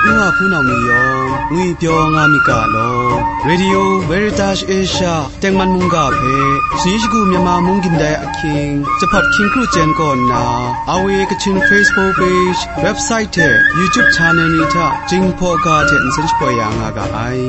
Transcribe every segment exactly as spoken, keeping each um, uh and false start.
Nwa hpunau ni yawng ngwipyaw nga myit ga law. Radio Veritas Asia tengman mungga hpe shani shagu Myanmar mung gindai ahkying, Jahpawt hkying kru chyen kaw nna, R V A Kachin Facebook page, website hte YouTube channel ni hta Jinghpaw ga hte nsen shapoi ya nga ga ai.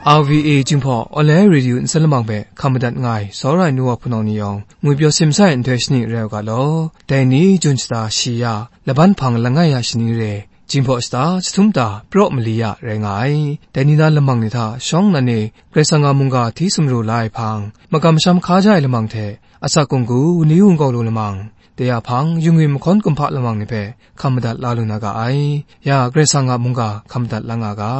R V A Jinghpaw Online Radio nsen lamang hpe hkam madat nga ai, tsawra ai nu wa hpunau ni yawng, ngwipyaw simsa ai nhtoi shani rai u ga law. Dai ni, Jun shata shi ya, laban hpang langai ya shani re, Jinghpaw shata jahtum ta praw mali ya rai nga ai. Dai ni na lamang ni hta shawng nnan e Karai Kasang a mungga hti sumru la ai hpang, makam masham hkaja ai lamang hte, asak kunggu, wunli wungkau lu lamang, dai a hpang, yungwi mahkawn kumhpa lamang ni hpe hkam madat la lu na ga ai. Ya, Karai Kasang a mungga hkam madat la nga ga.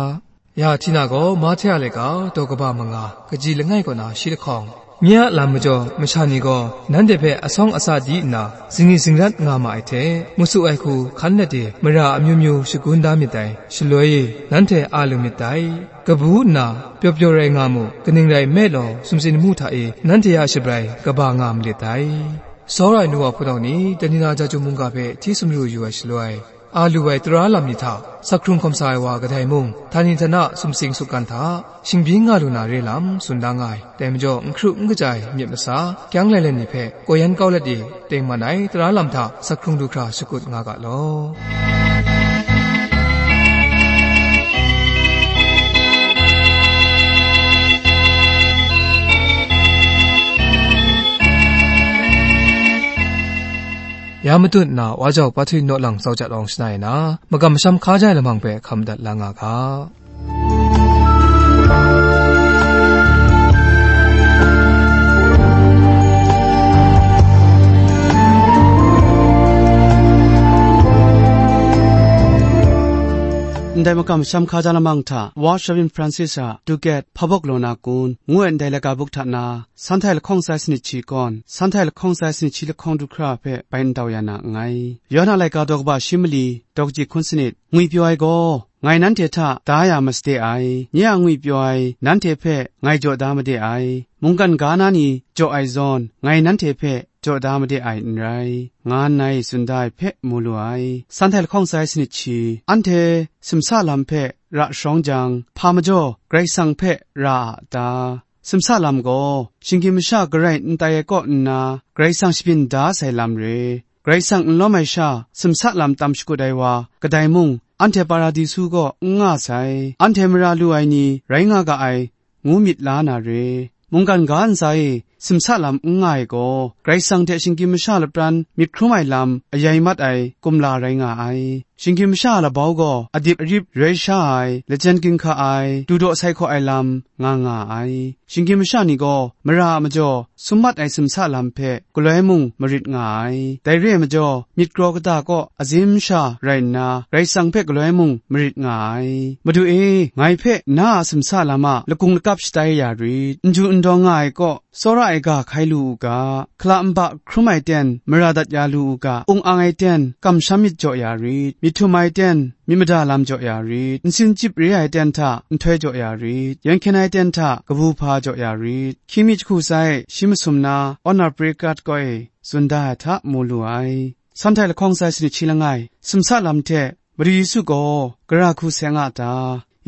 Ya, Htina gaw Mahte a laika daw kaba manga, kaji langai kaw na shi lahkawng, nye a lam majaw masha ni gaw nanhte hpe asawng asa di nna, zingri zingrat nga ma ai hte, masu ai hku hkan let e mara amyu myu shagun da myit dai, shaloi e nanhte a lu myit dai. Kabu nna pyaw pyaw rai nga mu, kaning rai nme law, sumsing lamu hta e nanhte a shabrai kaba nga malit dai. Tsawra ai nu wa hpunau ni, dai ni na Jahtum mungga hpe hti sumru yu ai shaloi, a lu ai tara lam ni hta, sak hkrung hkawm sa ai wa kadai mung, htani htana sumsing sukgan hta, shingbyin nga lu na re lam tsun da nga ai. Dai majaw, n hkru n kaja ai myit masa, kyang lailen ni hpe, kaw yan kau let e, tengman ai tara lam hta sak hkrung du hkra shakut nga ga law. Ya matut nna, wa jau Pahtwi Naw Lang Tsau Jat Awng shana e na, makam masham hkaja ai lamang hpe hkam dat la nga ga. Ndai makam masham hkaja lamang hta, Wa Shavin Francis a Ducat Hpabawk Law Na Kun ngu ai ndai laika buk hta na, Sanhtai lahkawng sai sanit shi kawn, Sanhtai lahkawng sai sanit shi lahkawng du hkra hpe bai ndau ya na nngai. Yawhan a laika daw kaba shi mali, daw kaji hkun sanit, ngwipyaw ai gaw, ngai nanhte hta da ya masade ai, nye a ngwipyaw ai, nanhte hpe ngai jaw da made ai, mungkan ga na ni jaw ai zawn, ngai nanhte hpe jaw da made ai n rai, nga nngai tsun da ai hpe mu lu ai. Sanhtai lahkawng sai sanit shi, anhte simsa lam hpe ra sharawng jang, hpa majaw Karai Kasang hpe ra a ta? Simsa lam gaw, shinggyim masha garai n tai ai kaw nna, Karai Kasang shabyin da sai lam re. Karai Kasang n lawm ai sha, simsa lam tam shakut ai wa, kadai mung, anhte Paradisu kaw n nga sai, anhte mara lu ai ni rai nga ga ai, ngu myit la na re. Mungkan ga ntsa e simsa lam n nga ai gaw, Karai Kasang hte shinggyim masha lapran myit hkrum ai lam ayai mat ai kumla rai nga ai. Shinggyim masha a labau gaw adip arip rai sha ai, lajen ginhka ai, dudaw sai hkaw ai lam nga nga ai. Shinggyim masha ni gaw mara a majaw sum mat ai simsa lam hpe galoi mung marit nga ai. Dai re ai majaw, myit kraw kata kaw azim sha rai nna, Karai Kasang hpe galoi mung marit nga ai. Madu e, ngai hpe na a simsa lam a lakung lakap shatai ya rit, n ju n dawng nga ai kaw, tsawra ai ga hkai lu u ga, hkala nba hkrum ai ten mara dat ya lu u ga, ung ang ai ten kamsham myit jaw ya rit, myit htum ai ten myit mada lam jaw ya rit, nsin chyip re ai ten hta nhtoi jaw ya rit, yen hkyen ai ten hta kabu hpa jaw ya rit, hkying mi jahku sai shi masum na Honor Prekat kaw e tsun da ai hta mu lu ai. Sanhtai lahkawng sai sanit shi langai, simsa lam hte Madu Yesu gaw gara hku seng a ta?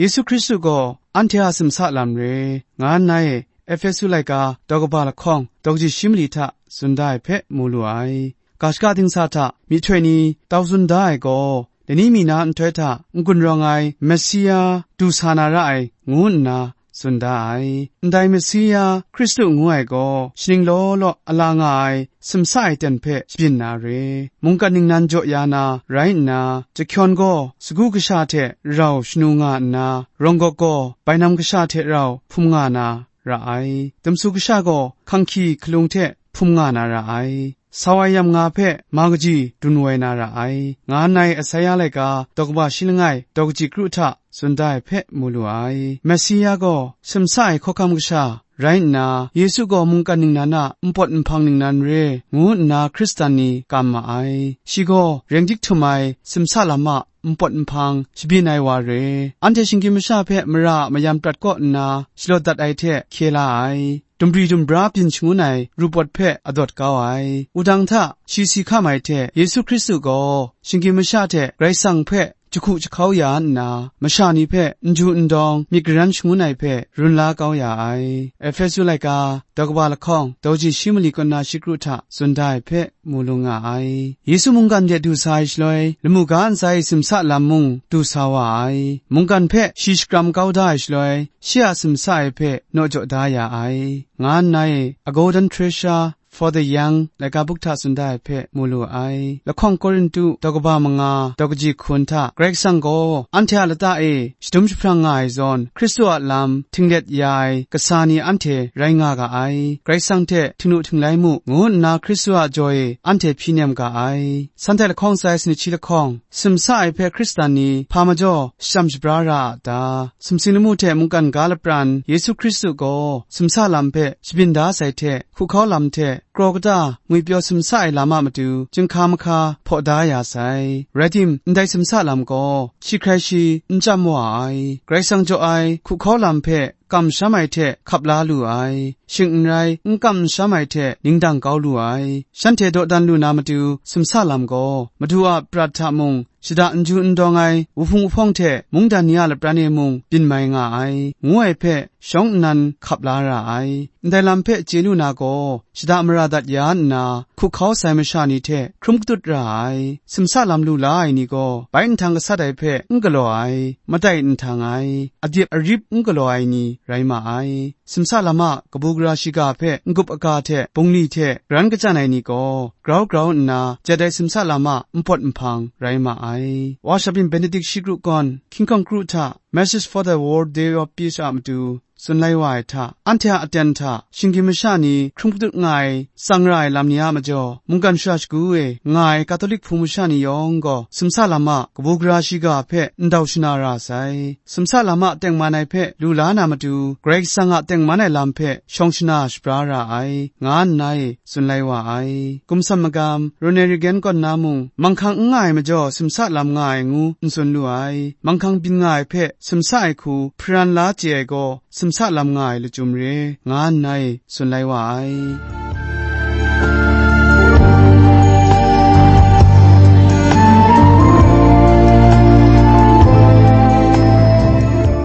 Yesu Hkristu gaw anhte a simsa lam re, nga nna e Ehpesu laika daw kaba lahkawng daw kaji shi mali hta tsun da ai hpe mu lu ai. Ga shaka dingsa hta myihtoi ni tau tsun da ai gaw, dai ni mi na nhtoi hta n-gun rawng ai Messia du sa na ra ai, ngu nna tsun da ai. Ndai Messia Hkristu ngu ai gaw, shaning law law a la nga ai simsa ai ten hpe shabyin na re. Mungkan ningnan jaw ya na rai nna, jahkyawn gaw sagu kasha hte rau shanu nga nna, rawng gawk gaw bainam kasha hte rau hpum nga na ra ai. Dumsu kasha gaw hkanghki hkalung hte hpum nga na ra ai. Sau ai yam nga hpe ma kaji dun woi na ra ai, nga nna Asaia laika daw kaba shi langai daw kaji kru hta tsun da ai hpe mu lu ai. Messia gaw simsa ai hkawhkam kasha rai nna, Yesu gaw mungkan ningnan a npawt nhpang ningnan re, ngu nna Hkristan ni kam ma ai. Shi gaw reng dik htum ai simsa lam a npawt nhpang shabyin ai wa re. Anhte shinggyim masha hpe mara a mayam prat kaw nna shalawt dat ai hte hkye la ai. Dumbri dumbra byin shangun ai rupawt hpe adawt kau ai. Wudang hta shi si hkam ai hte Yesu Hkristu gaw shinggyim masha hte Karai Kasang hpe jahku jahkau ya nna, masha ni hpe n ju n dawng myit garan shangun ai hpe run la kau ya ai. Efesu laika, daw kaba lahkawng, daw ji shi mali kaw na shi kru hta tsun da ai hpe mu lu nga ai. Yesu mungkan de du sa ai shaloi, lamu ga ntsa e simsa lam mung du sa wa ai. Mungkan hpe shi shakram kau da ai shaloi, shi a simsa ai hpe naw jaw da ya ai, nga nna e, A Golden Treasure for the Young laika buk hta tsun da ai hpe mu lu ai. Lahkawng Korintu daw kaba manga daw kaji hkun hta, Karai Kasang gaw anhte a lata e shadum jahprang nga ai zawn, Hkristu a lam htinglet ya ai kasa ni anhte rai nga ga ai. Karai Kasang hte htingnu htinglai mu, ngu nna Hkristu a jaw e anhte hpyi nem ga ai. Sanhte lahkawng tsa ai sanit shi lahkawng, simsa ai hpe Hkristan ni hpa majaw shachyam shabra ra a ta? Sumsing lamu hte mungkan ga lapran Yesu Hkristu gaw simsa lam hpe shabyin da sai hte, hkuhkau lam hte kraw kata ngwipyaw simsa ai lam a matu chyinghka mahka hpaw da ya sai. Rai tim, ndai simsa lam gaw shi hkrai shi n chyam wa ai. Karai Kasang jaw ai hkuhkau lam hpe kamsham ai hte hkap la lu ai, shing n rai, n kam n sham ai hte ningdang kau lu ai. Shanhte dawdan lu na matu simsa lam gaw, Madu a prat hta mung, shada n ju n dawng ai wuhpung wuhpawng hte mungdan ni a lapran e mung byin mai nga ai, ngu ai hpe shawng nnan hkap la ra ai. Ndai lam hpe chye lu na gaw, shada mara dat ya nna, hkuhkau sai masha ni hte hkrum katut ra ai, simsa lam lu la ai ni gaw, bai nhtang gasat ai hpe n galaw ai, matai nhtang ai, adip arip n galaw ai ni rai ma ai. Simsa lam a kabu gara shiga hpe n-gup aga hte bungli hte garan kachyan ai ni gaw, grau grau nna jat ai simsa lam a npawt nhpang rai ma ai. Wa Shabyin Benedict shi kru gawn, King Kong Kru hta Message for the World Day of Peace a matu tsun lai wa ai hta, anhte a aten hta shinggyim masha ni hkrum katut nga ai, tsang ra ai lam ni a majaw, mungkan shara shagu e nga ai Katolik Hpung masha ni yawng gaw, simsa lam a kabu gara shiga hpe ndau shana ra sai. Simsa lam a tengman ai hpe lu la na matu, Karai Kasang a tengman ai lam hpe shawng shana shabra ra ai, nga nna e tsun lai wa ai. Gumsam magam, Ronald Reagan kaw nna mung, manghkang n nga ai majaw, simsa lam nga ai ngu n tsun lu ai. Manghkang byin nga ai hpe simsa ai hku hparan la chye ai gaw, simsa lam nga ai lachyum re, nga nna e tsun lai wa ai.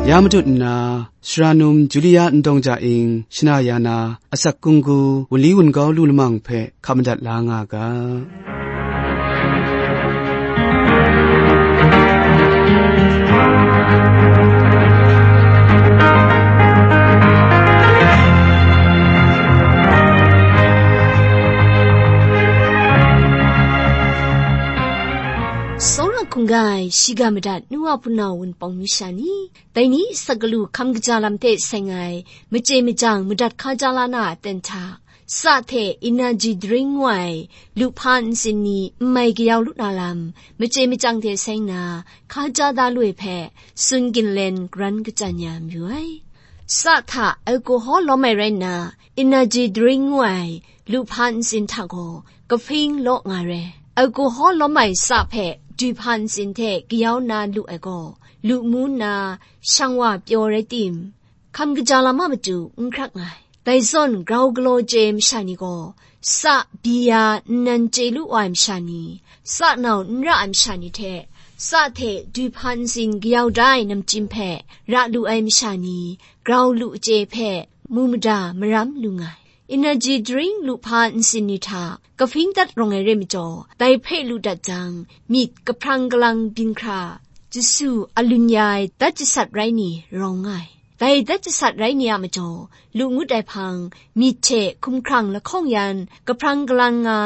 Ya matut nna, Sara num Julia Ndawng Ja Ing shana ya na, asak kunggu, wunli wungau lu lamang hpe hkap madat la nga ga. Tsawra hkungga ai shiga madat nu a hpunau wunpawng masha ni, dai ni asak galu hkam kaja lam hte seng ai, machye machyang madat hkaja la na a aten hta, sa hte energy drink ngu ai, luhpa ntsin ni n mai kayau lu na lam, machye machyang hte seng na, hkaja da lu ai hpe, tsun ginlen garan kachyan ya mayu ai. Sa hta alcohol lawm ai rai nna, energy drink ngu ai, luhpa ntsin hta gaw, kahpring law nga re. Alcohol lawm ai sa hpe, duhpa ntsin hte kayau na lu ai gaw, lu mu nna, shang wa pyaw rai tim, hkam kaja lam a matu n hkrak nga ai. Dai zawn grau galaw chye ai masha ni gaw, sa, bia, nnan chye lu wa ai masha ni, sa nau n ra ai masha ni hte, sa hte duhpa ntsin kayau da ai namchyim hpe ra lu ai masha ni, grau lu chye hpe mu mada maram lu nga ai. Energy drink luhpa ntsin ni hta kahpring dat rawng ai re majaw, dai hpe lu dat jang, myit kahprang kalang byin hkra, jasu alun ya ai dat jasat rai ni rawng nga ai. Dai dat jasat rai ni a majaw, lu ngut ai hpang, myit hte hkumhkrang lahkawng yan, kahprang kalang nga,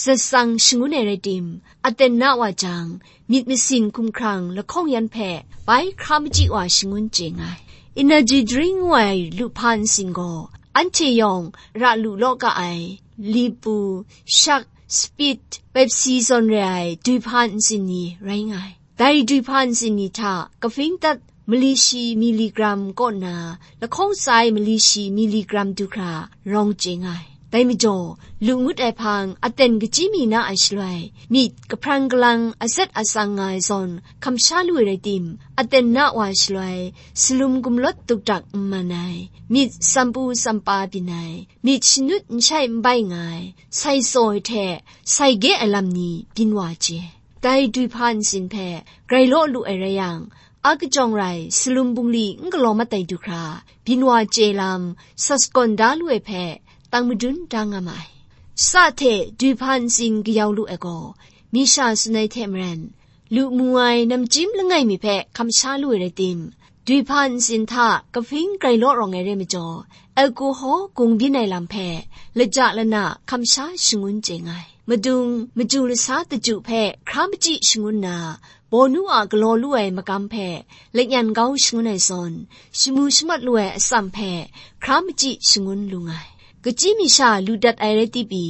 zatsang shangun ai rai tim, aten na wa jang, myit masin hkumhkrang lahkawng yan hpe bai hkra machyi wa shangun chye nga ai. Energy drink ngu ai luhpa ntsin gaw, anhte yawng ra lu law ga ai, lipu, shak, spit, Pepsi zawn re ai duhpa ntsin ni rai nga ai. Dai duhpa ntsin ni hta kahpring dat mali shi miligram kaw nna, lahkawng tsa ai mali shi miligram du hkra rawng chye nga ai. Dai majaw, lu ngut ai hpang aten kachyi mi na ai shaloi, myit kahprang kalang azet atsang nga ai zawn hkamsha lu ai rai tim, aten na wa shaloi, salum gumlawt dukdak n man ai, myit sampu sampa byin ai, myit shanut n shai n bai nga ai, sai tsaw ai hte sai gye ai lam ni byin wa chye. Dai dwi hpa ntsin hpe grai law lu ai rai yang, a kajawng rai salum bungli n galaw mat ai du hkra, byin wa chye lam sa sagawn da lu ai hpe, tang madun da nga ma ai. Sa hte dwi hpa ntsin kayau lu ai gaw, mi sha tsun ai hte maren, lu mu ai namchyim langai mi hpe hkamsha lu ai rai tim, dwi hpa ntsin hta kahping grai law rawng ai re majaw, alkohol gung byin ai lam hpe laja lana hkamsha shangun chye nga ai. Madung, maju lasa daju hpe hkra machyi shangun na, bawnu a galaw lu ai magam hpe lanyan kau shangun ai zawn, shamu shamat lu ai atsam hpe hkra machyi shangun lu nga ai. Kachyi mi sha lu dat ai rai tipi,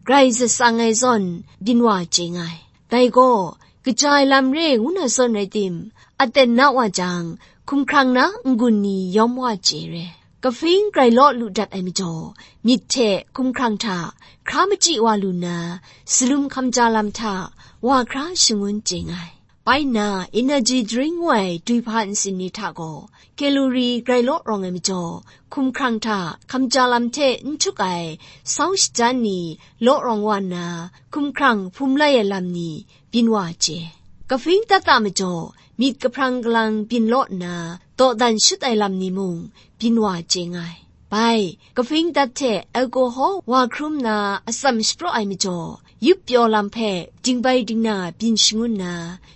grai zatsang ai zawn byin wa chye nga ai. Dai gaw, kaja ai lam re ngu na zawn rai tim, aten na wa jang, hkumhkrang na n-gun ni yawm wa chye re. Kahping grai law lu dat ai majaw, myit hte hkumhkrang hta hkra machyi wa lu nna, salum hkamja lam hta wa hkra shangun chye nga ai. Bai nna, energy drink ngu ai dwi hpa ntsin ni hta gaw, kalori grai law rawng ai majaw, hkumhkrang hta hkamja lam hte n htuk ai sau shajan ni law rawng wa nna, hkumhkrang hpum lai ai lam ni byin wa chye. Kahping dat a majaw, myit kahprang kalang byin law nna, dawdan shut ai lam ni mung byin wa chye nga ai. Bai, kahping dat hte alkohol wa hkrum na atsam shapraw ai majaw, yup pyaw lam hpe dingbai dingna byin shangun na,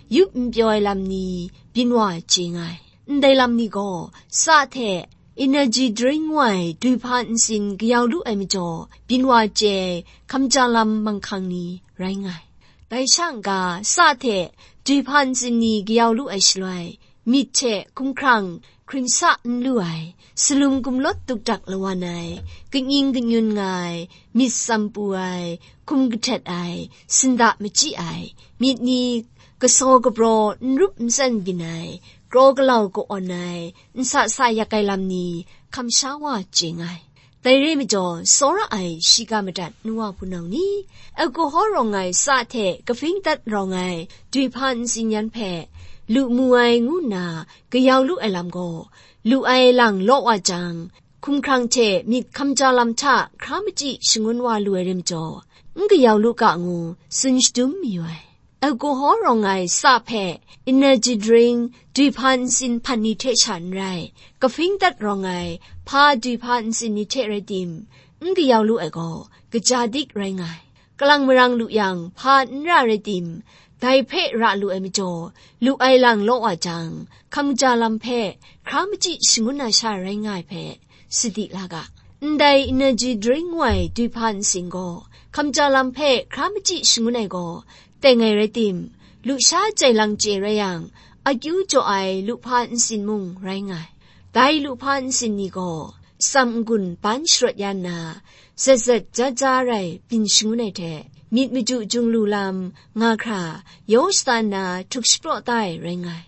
yup n pyaw ai lam ni byin wa chye nga ai. Ndai lam ni gaw, sa hte energy drink ngu ai dwi hpa ntsin kayau lu ai majaw, byin wa chye ai hkamja lam manghkang ni rai nga ai. Dai sha n-ga, sa hte dwi hpa ntsin ni kayau lu ai shaloi, myit hte hkumhkrang hkring sa n lu ai, salum gumlawt dukdak lawan ai, kanying kanyun nga ai, myit tsam pu ai, hkum kahtet ai, sinda machyi ai, myit ni kasaw kapraw n rup n tsen byin ai, kraw galau ka-awn ai, n sa sa yak ai lam ni hkamsha wa chye nga ai. Dai re majaw, tsawra ai shiga madat nu wa hpunau ni, alkohol rawng ai sa hte kahping dat rawng ai dwi hpa ntsin yan hpe lu mu ai ngu nna kayau lu ai lam gaw, lu ai lang law wa jang, hkumhkrang hte myit hkamja lam hta hkra machyi shangun wa lu ai re majaw, n kayau lu ga ngu tsun shadum mayu ai. Alkohol rawng ai sa hpe energy drink dwi hpa ntsin hpan ni hte sha n rai, kahping dat rawng ai hpa dwi hpa ntsin ni hte rai tim, n kayau lu ai gaw, kaja dik rai nga ai. Kalang marang lu yang, hpa n ra rai tim, dai hpe ra lu ai majaw, lu ai lang law wa jang, hkamja lam hpe hkra machyi shangun na sha rai nga ai hpe, sadi la ga. Ndai energy drink ngu ai dwi hpa ntsin gaw, hkamja lam hpe hkra machyi shangun ai gaw, teng ai rai tim, lusha jai lang chye rai yang, akyu jaw ai lu hpa ntsin mung rai nga ai. Dai lu hpa ntsin ni gaw, tsam n-gun ban sharawt ya nna, zat zat ja ja rai byin shangun ai hte, myit maju jung lu lam nga hkra, yaw shata nna htuk shapraw tai rai nga ai.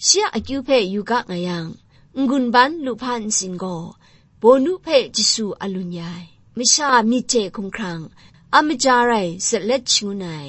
Shi a akyu hpe yu ga nga yang, n-gun ban lu hpa ntsin gaw, bawnu hpe jasu a lun ya ai. Masha myit hte hkumhkrang, a maja rai zatlet shangun ai,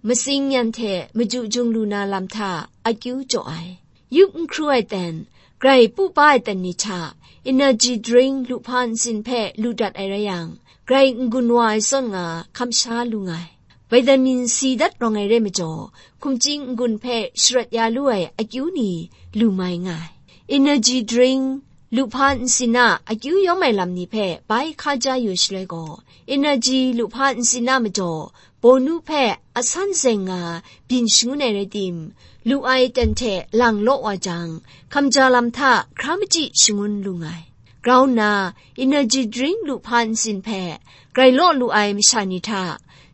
matsing yan hte maju jung lu na lam hta akyu jaw ai. Yup n hkru ai ten, grai pu pa ai ten ni hta, energy drink lu hpa ntsin hpe lu dat ai rai yang, grai n-gun wa ai zawn nga hkamsha lu nga ai. Vitamin C dat rawng ai re majaw, hkumching n-gun hpe sharawt ya lu ai akyu ni lu mai nga ai. Energy drink, lu hpa ntsin a akyu yawm ai lam ni hpe bai hka ja yu shaloi gaw, energy lu hpa ntsin a majaw, bawnu hpe a san zeng nga byin shangun ai rai tim, lu ai ten hte lang law wa jang, hkamja lam hta hkra machyi shangun lu nga ai. Grau nna, energy drink lu hpa ntsin hpe grai law lu ai masha ni hta,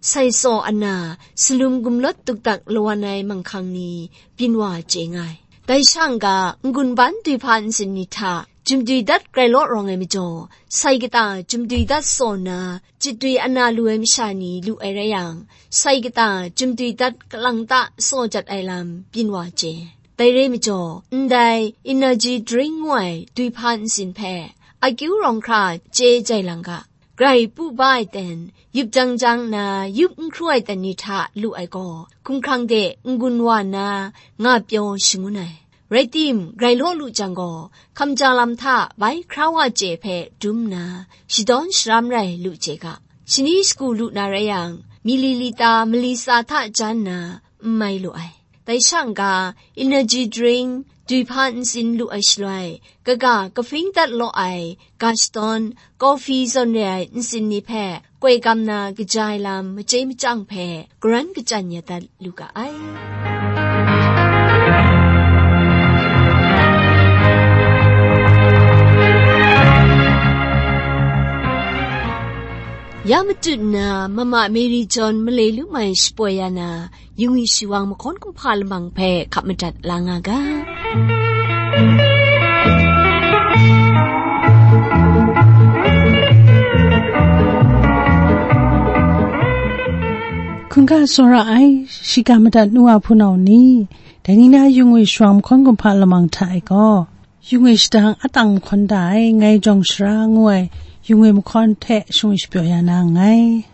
sai tsaw ana, salum gumlawt dukdak lawan ai manghkang ni byin wa chye nga ai. Dai sha n-ga, n-gun ban dwi hpa ntsin ni hta, jumdwi dat grai law rawng ai majaw, sai kata jumdwi dat tsaw nna, jitdwi ana lu ai masha ni lu ai rai yang, sai kata jumdwi dat kalang ta tsaw jat ai lam byin wa chye. Dai re majaw, ndai energy drink ngu ai duihpa nsin hpe akyu rawng hkra chye jai lang ga, grai pu ba ai ten, yup jang jang nna, yup n hkru ai ten ni hta lu ai gaw, hkumhkrang de n-gun wa nna, nga pyaw shangun ai. Rai tim, grai law lu jang gaw, hkamja lam hta bai hkra wa chye hpe dum nna, shadawn sharam rai lu chye ga, shani shagu lu na rai yang, mililita mali tsa hta jan nna, n mai lu ai. Dai sha n-ga, energy drink, duihpa nsin lu ai shaloi, kaga kahpring dat law ai, ga shadawn, coffee zawn re ai nsin ni hpe, koi gam na kaja ai lam machye machyang hpe, karan kachyan ya dat lu ga ai. Ya matut nna, Mama Mary John malai lu mai shapoi ya na, yung yu shi wang mahkawn kumhpa lamang hpe hkap madat la nga ga. Hkungga tsawra ai, shiga madat nu a hpunau ni, dai ni na yung yu shi wang mahkawn kumhpa lamang hta e gaw, yung e shadang atang mahkawn da ai, ngai jawng shara ngu ai, yung e mahkawn hte shung shapyaw ya na nngai.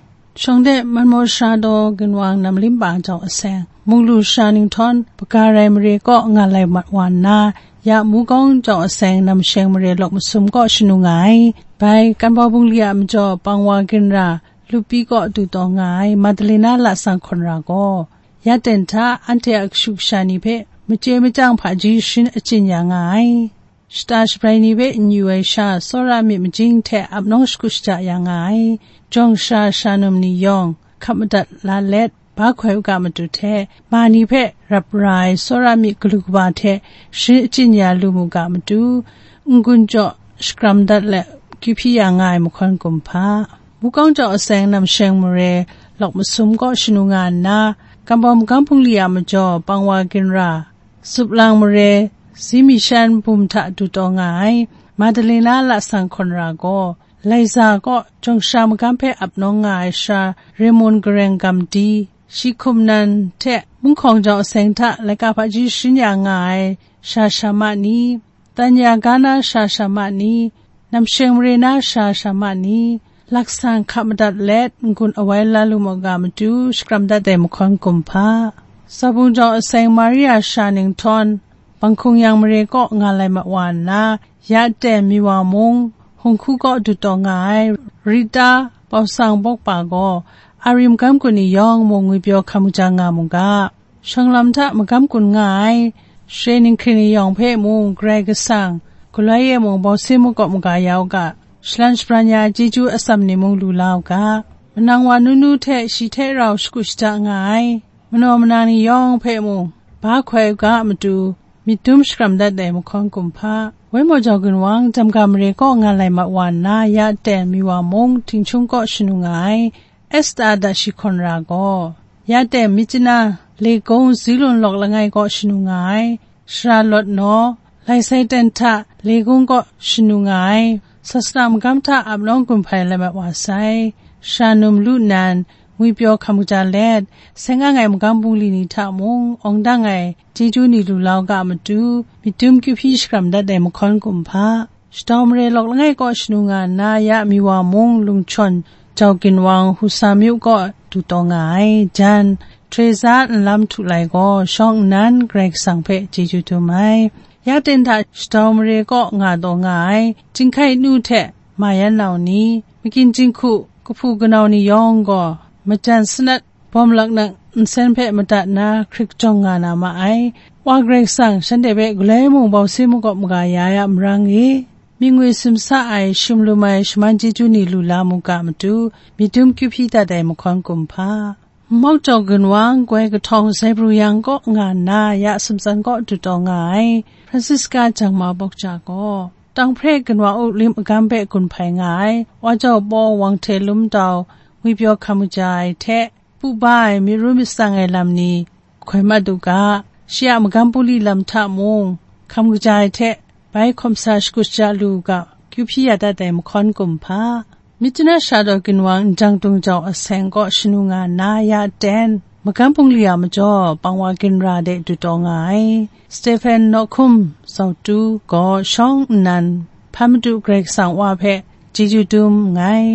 Shawng de, man maw sara daw ginwang nam limpa jau aseng, munglu sara ninghtawng, Bagarai mare kaw nga lai mat wa nna, ya Mukawng jau aseng, namsheng mare lawk masum kaw shanu nga ai. Bai, Kanbau bungli a majaw, Pangwa ginra, Lupi kaw du taw nga ai, Madalena lasang hkawn ra gaw, ya ten hta anhte a kashu kasha ni hpe machye machyang hpaji sharin achyin ya nga ai. Shata shabrai ni hpe n yu ai sha, tsawra myit majing hte ap nawng shakut shaja ya nga ai. Jawng sara sara num ni yawng, hkap madat la let, ba hkoi u ga matu hte, ma ni hpe rap ra ai tsawra myit galu kaba hte sharin achyin ya lu mu ga matu, n-gun jaw shakram dat let, kyu hpyi ya nga ai mahkawn kumhpa. Mukawng jau aseng namsheng mare lawk masum kaw shanu nga nna, Kanbau magam bungli a majaw, Pangwa ginra, Suplang mare, Zimishan bum hta du taw nga ai, Madalena lasang hkawn ra gaw, Laiza kaw jawng sara magam hpe ap nawng nga ai sara, Remon gareng gam di, shi hkum nan hte munghkawng jau aseng hta laika hpaji sharin ya nga ai sara sara ma ni, Tanya ga na sara sara ma ni, namsheng mare na sara sara ma ni, laksan hkap madat let n-gun awai la lu mu ga matu, shakram dat ai mahkawn kumhpa. Zabung jau aseng Maria sara ninghtawng, Banghkung yang mare kaw nga lai mat wa nna, ya ten Miwa mung, Hungku kaw du taw nga ai, Rita, Pausang bawkpa gaw, Ari magam gun ni yawng mung ngwipyaw hkam kaja nga mu ga. Shawng lam hta magam gun nga ai, share ninghkring ni yawng hpe mung Karai Kasang, galoi e mung bawse makawp maga ya u ga, shalan shabran ya ai chyeju atsam ni mung lu la u ga. Manang wa nunu hte shi hte rau shakut shada nga ai, manaw manang ni yawng hpe mung, ba hkoi u ga a matu, myit dum shakram dat ai mahkawn kumhpa. Wai maw jau ginwang, Jamga mare kaw nga lai mat wa nna, ya ten Miwa mung, Htingchung kaw shanu nga ai, Esta da shi hkawn ra gaw, ya ten Myitkyina, Legung, Zilun lawk langai kaw shanu nga ai, Sara lawt naw, lai sai ten hta Legung kaw shanu nga ai, sasana magam hta ap nawng gun hpai lai mat wa sai, sara num lu nnan, ngwipyaw hkam kaja let, seng ang ai magam bungli ni hta mung, awng dang ai chyeju ni lu la u ga a matu, myit dum kyu hpyi shakram dat ai mahkawn kumhpa. Shadau mare lawk langai kaw shanu nga nna, ya Miwa mung, Lungchawn, jau ginwang, Husa myu kaw du taw nga ai, jan, Teresa nlam htu lai gaw, shawng nnan Karai Kasang hpe chyeju dum ai. Ya ten hta shadau mare kaw nga taw nga ai, Jinghkai nu hte Mayan nau ni, magyin jinghku kahpu kanau ni yawng gaw, majan sanat bawm laknak nsen hpe madat nna hkrik jawng nga na ma ai. Wa Karai Kasang, shanhte hpe galoi mung bawse makawp maga ya ai a marang e, mying ngwi simsa ai, shim lum ai, shaman chyeju ni lu la mu ga matu, myit dum kyu hpyi dat ai mahkawn kumhpa. Nmawk jau ginwang, goi kahtawng Zaibru yang kaw nga nna, ya Sumtsan kaw du taw nga ai, Francisca Jangma Bawkja gaw, Tanghpre ginwang up lim agam hpe gun hpai nga ai, wa jau paw Wang Hte Lum Dau, ngwipyaw hkam kaja ai hte, pu ba ai, myit ru myit tsang ai lam ni, hkoi mat u ga, shi a magam bungli lam hta mung, hkam kaja ai hte, bai hkawm sa shakut shaja lu u ga, kyu hpyi ya dat ai mahkawn kumhpa. Myitkyina sara daw ginwang Njang Tung jau aseng kaw shanu nga nna, ya ten, Magam bungli a majaw pang wa ginra de du taw nga ai Stephen Nawhkum Zautu gaw shawng nnan hpa Madu Karai Kasang Wa hpe chyeju dum nngai.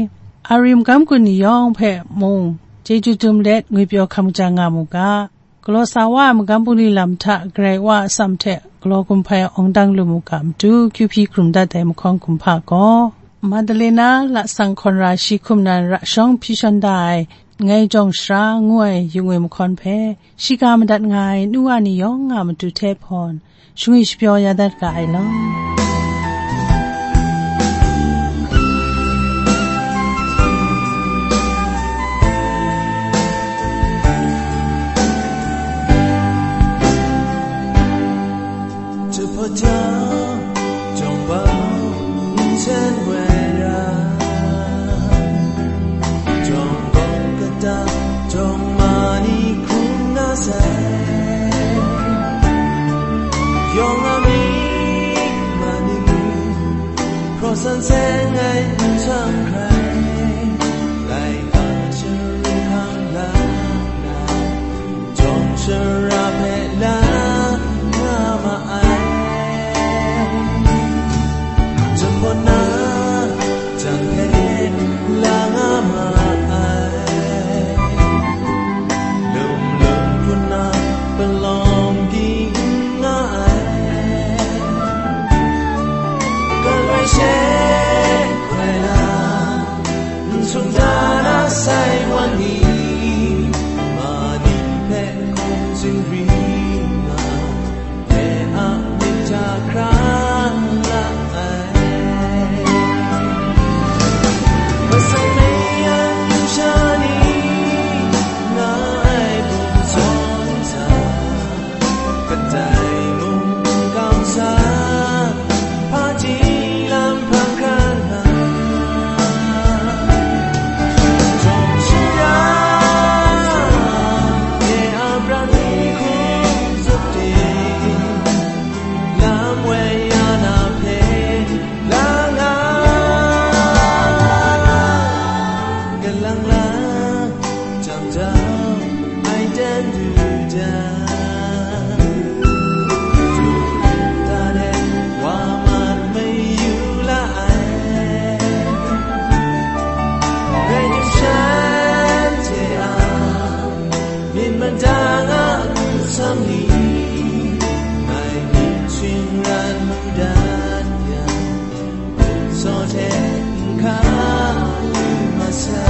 Ari magam gun ni yawng hpe mung chyeju dum let ngwipyaw hkam ja nga mu ga. Galaw sa wa ai magam bungli lam hta Karai Wa a atsam hte galaw gun hpai awng dang lu mu ga matu, Q P hkrum dat ai mahkawn kumhpa gaw, Madalena lasang hkawn ra shi hkum nan ra shawng hpyi shawn da ai Ngai Jawng Shara ngu ai yu ngwi mahkawn hpe, shiga madat nga ai nu wa ni yawng a matu hte hpawn, shangwi shapyaw ya dat ga ai law. Jahpawt jang, jawng bau nsen woi ra, jawng bau kata, jawng ma ni hkrum na sai. Yawng a myit ma ni, hpraw san seng ai nhtang hkrai, laika shari hkang la na, jawng shara hpe la nga ma ai. Jahpawt na jang hpe la nga ma ai. Lum lum hpun na palawng ging nga ai. Galoi she hkrai na, n sung da na sai wan ni, ma ni hpe hkum zingri nga, dai a myit hta hkra la ai. Masai mei yang yu sha ni, nga ai bum zawn sa, kadai mung n kau sa, hpaji lam hpang hkra na, jawng shara, e a pran ni hkum zup ting, lam woi ya na hpe, lang lang, galang lang, jam jam, ai dan du jang, du da de, wa mat mayu la ai. Rai tim shanhte a, myit madang a nsam ni, ngai myit shingran mu dat yang, saw hte n hkang lu masai.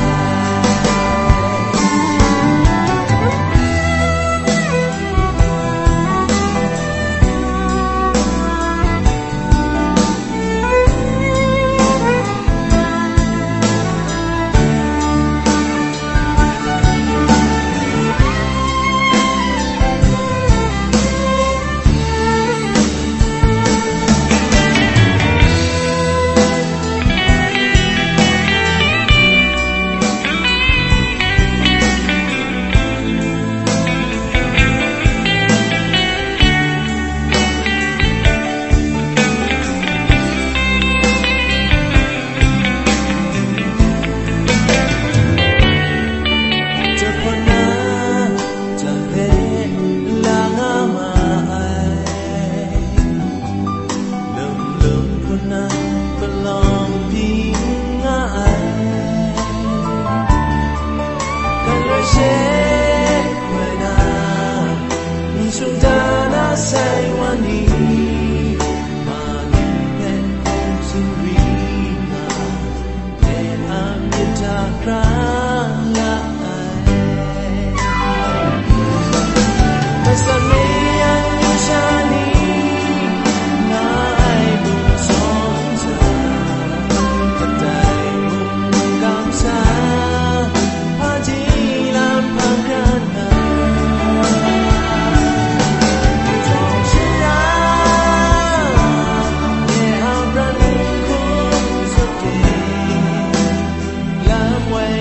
Jahpawt na jang hpe la nga ma ai. Lum lum hpun na palawng byin nga ai. Galoi she hkrai na, n sung da na sai wan ni, ma ni hpe hkum zingri nga, e a myit hta hkra la ai. Masat mei yang yu sha ni, nga ai bum zawn sa, kadai mung n kau sa, hpaji lam hpang hkra na, jawng shara, e a pran ni hkum zup ting, lam woi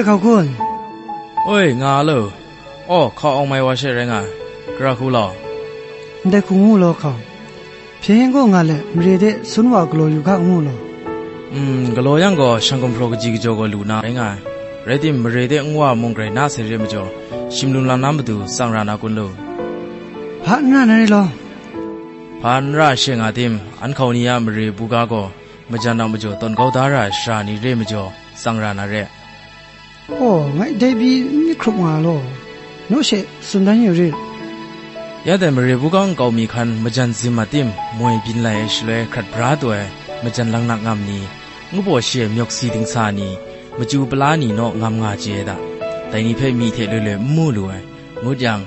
Hkau kun. Oi, nga a lo. Aw, hkau awng mai wa she rai nga ai. Gara hku law. Ndai hku ngu law hkau. Hpyen gaw nga let, mare de sun wa galaw yu ga ngu law. Mm, galaw yang gaw, shang gumhpraw kaji kajaw gaw lu na rai nga ai. Rai tim, mare de nwa mung grai na sai re majaw, shim lum lam na matu tsang ra na kun lu. Hpa n ra na re law. Hpa n ra she nga tim, an hkau ni a mare buga gaw, majan a majaw tawn kau da ra ai sara ni re majaw, tsang ra na re. Aw, ngai dai pyi n myit hkrup nga law, naw she tsun dan yu rit. Ya dai mare buga nkau mi hkan majan zim a tim, moi byin lai ai shaloi hkrat bra taw ai, majan langnak ngam ni, ngu baw shi ai myawk si dingsa ni, machyu pala ni naw ngam nga chye ai da. Dai ni hpe myi hte loi loi n mu lu ai. Ngut yang,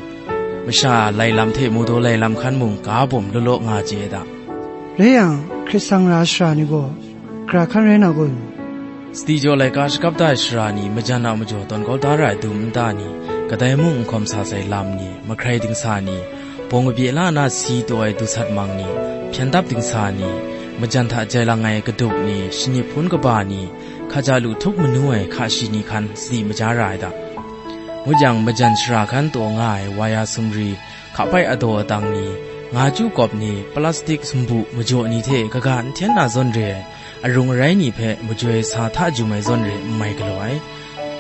masha lai lam hte mu daw lai lam hkan mung ga bawm law law nga chye ai da. Rai yang, hkrit sang ra ai sara ni gaw, gara hkan rai na kun? Sadi jaw laika shakap da ai sara ni majan a majaw tawn kau da ra ai dum nta ni, kadai mung n hkawm sa sai lam ni, mahkrai dingsa ni, bawng kabye la na si taw ai dusat mang ni, hpyen dap dingsa ni, majan hta jai lang ai kaduk ni, shanip hpun kaba ni, hkaja lu htup manu ai hka shi ni hkan sadi maja ra ai da. Ngut yang, majan sara hkan taw nga ai waya sumri, hkapai adaw adang ni, nga chyu kawp ni, plastik sumbu majaw ni hte kaga n hten na zawn re ai, arung arai ni hpe majoi sa hta jum ai zawn re n mai galaw ai.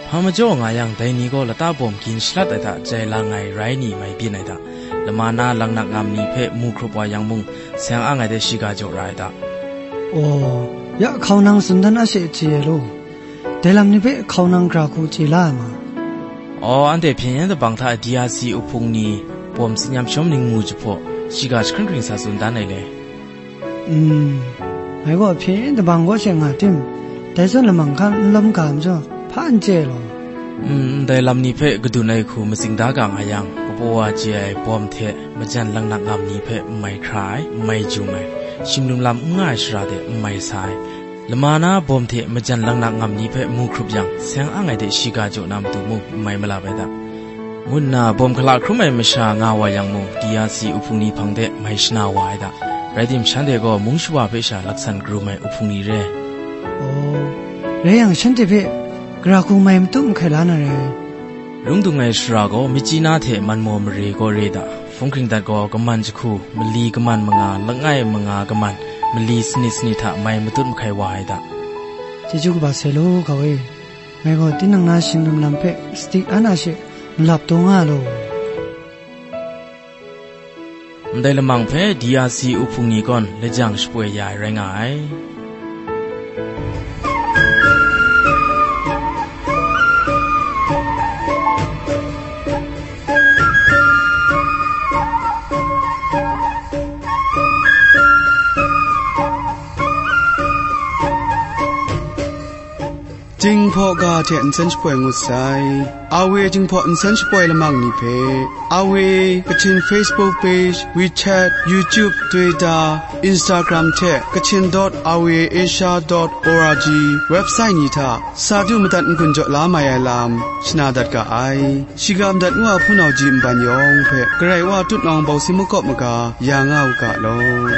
Hpa majaw nga yang, dai ni gaw lata bawm gin shalat ai hta jai lang ai rai ni mai byin ai hta, lama na langnak ngam ni hpe mu hkrup wa yang mung, seng ang ai de shiga jaw ra ai hta. Aw, ya hkau nang tsun dan a she chye ai law. Dai lam ni hpe hkau nang gara hku chye la ai ma? Aw, anhte hpyen yen dabang hta D R C uhpung ni bawm tsin yam shawm ning mu jahpaw, shiga jahkring hkring sa tsun dan ai le. Mm, ngai gaw hpyen yen dabang kaw she nga tim, dai zawn lamang hkan n lawm ga majaw, hpa n chye ai law. Mm, ndai lam ni hpe kadun ai hku matsing da ga nga yang, kabaw wa chye ai bawm hte majan langnak ngam ni hpe n mai hkra ai, n mai jum ai, shim lum lam n nga ai shara de n mai sa ai, lama na bawm hte majan langnak ngam ni hpe mu hkrup yang, seng ang ai de shiga jaw na matu mung n mai malap ai da, ngu nna bawm hkala hkrum ai masha nga wa yang mung, D R C uhpung ni hpang de mai shana wa ai da. Rai tim, shanhte gaw mung shawa hpe sha laksan karum ai uhpung ni re. Aw, rai yang, shanhte hpe gara hku mai matut mahkai la na rai. Rung dung ai shara gaw, Myitkyina hte Manmaw mare kaw re da, hpung hkring dat gaw, kaman jahku, mali kaman manga, langai manga kaman, mali sanit sanit hta mai matut mahkai wa ai da. Chyeju kaba sai law, gau e. Ngai gaw tinang na shing lum lam hpe sadi an a she malap taw nga law. Ndai lamang hpe D R C uhpung ni kawn lajang shapoi ya ai rai nga ai. Jinghpaw ga hte nsen shapoi ngut sai. Awe Jinghpaw nsen shapoi lamang ni hpe, Awe Kachin Facebook page, WeChat, YouTube, Twitter, Instagram hte Kachin dot awe asia dot org website ni hta sa du madat n-gun jaw la mai ai lam shana dat ga ai. Shiga madat ngu a hpunau ji nban yawng hpe Karai Wa tutnawng bawsi makawp maga ya nga u ga law.